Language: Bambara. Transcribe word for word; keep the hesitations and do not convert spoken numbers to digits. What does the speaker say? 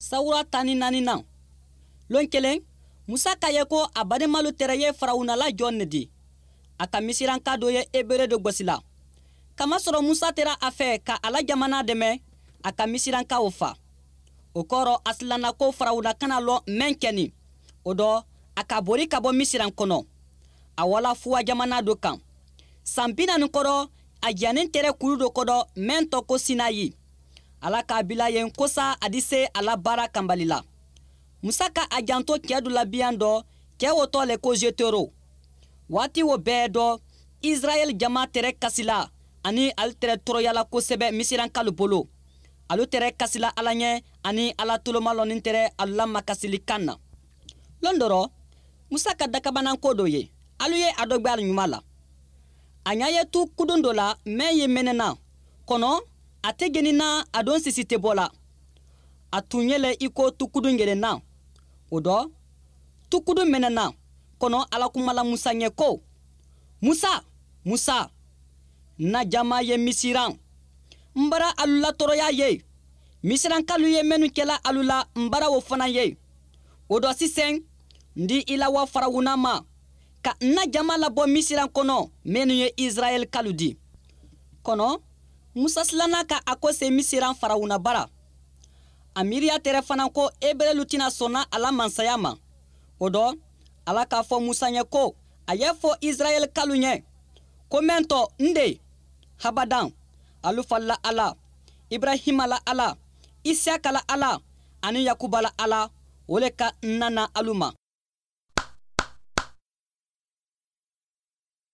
Sawura tan ni naani na lon kelen, Musa k'a ye ko a badenmalu tɛrɛ ye Farawuna la jɔn ne di. A ka Misiranka dɔ ye Ebere dɔ gosi la. Kamasɔrɔ Musa tɛra a fɛ ka a la jamana dɛmɛ, a ka Misirankaw fa. O kɔrɔ, a silanna ko Farawuna kana lɔn mɛn kɛni. O dɔ, a ka bori ka bɔ Misiran kɔnɔ. A wala fuwa jamana dɔ kan. San bi naani kɔrɔ, a jannen tɛrɛ kulu dɔ kɔrɔ mɛn tɔ ko Sinayi. Ala k'a bila yen kosa a di se a la baara kanbali la. Musa ka a janto cɛɛ dɔ la biyan dɔ, cɛɛ o tɔ le ko Jetero. Waati o bɛɛ dɔ, Israɛl jama tɛrɛ kasila ani alu tɛrɛ tɔɔrɔyala kosɛbɛ Misirankalu bolo. Alu tɛrɛ kasila Ala ɲɛ ani Ala tolomalɔnin tɛrɛ alu la makasili kan na. Lon dɔ rɔ, Musa ka dakabananko dɔ ye. Alu ye a dɔ gwɛ ɲuman la. A ɲa ye tu kudun dɔ la mɛn ye mɛnɛna. Kɔnɔ, a tɛ genina, a don sisi tɛ bɔ la. A tun ye lɛ i ko tukudun gelenna. O dɔ, tukudun mɛnɛna. Kɔnɔ, Ala kumala Musa ɲɛ ko: "Musa, Musa, na jama ye Misiran. N bara alu la tɔɔrɔya ye. Misirankalu ye minnu kɛla alu la, n bara o fana ye. O dɔ sisan, n di i la wa Farawuna ma, ka n na jama labɔ Misiran kɔnɔ minnu ye Israɛl kalu di." Kɔnɔ, Musa silanna ka a ko se Misiran Farawuna bara. A miiriya tɛrɛ fana ko Ebrelu tɛna sɔnna a la mansaya ma. O dɔ, Ala k'a fɔ Musa ɲɛ ko a y'a fɔ Israɛl kalu ɲɛ ko mɛn tɔ n de habadan alu fa la Ala, Ibrahima la Ala, Isiyaka la Ala ani Yakuba la Ala, o le ka n nana alu ma.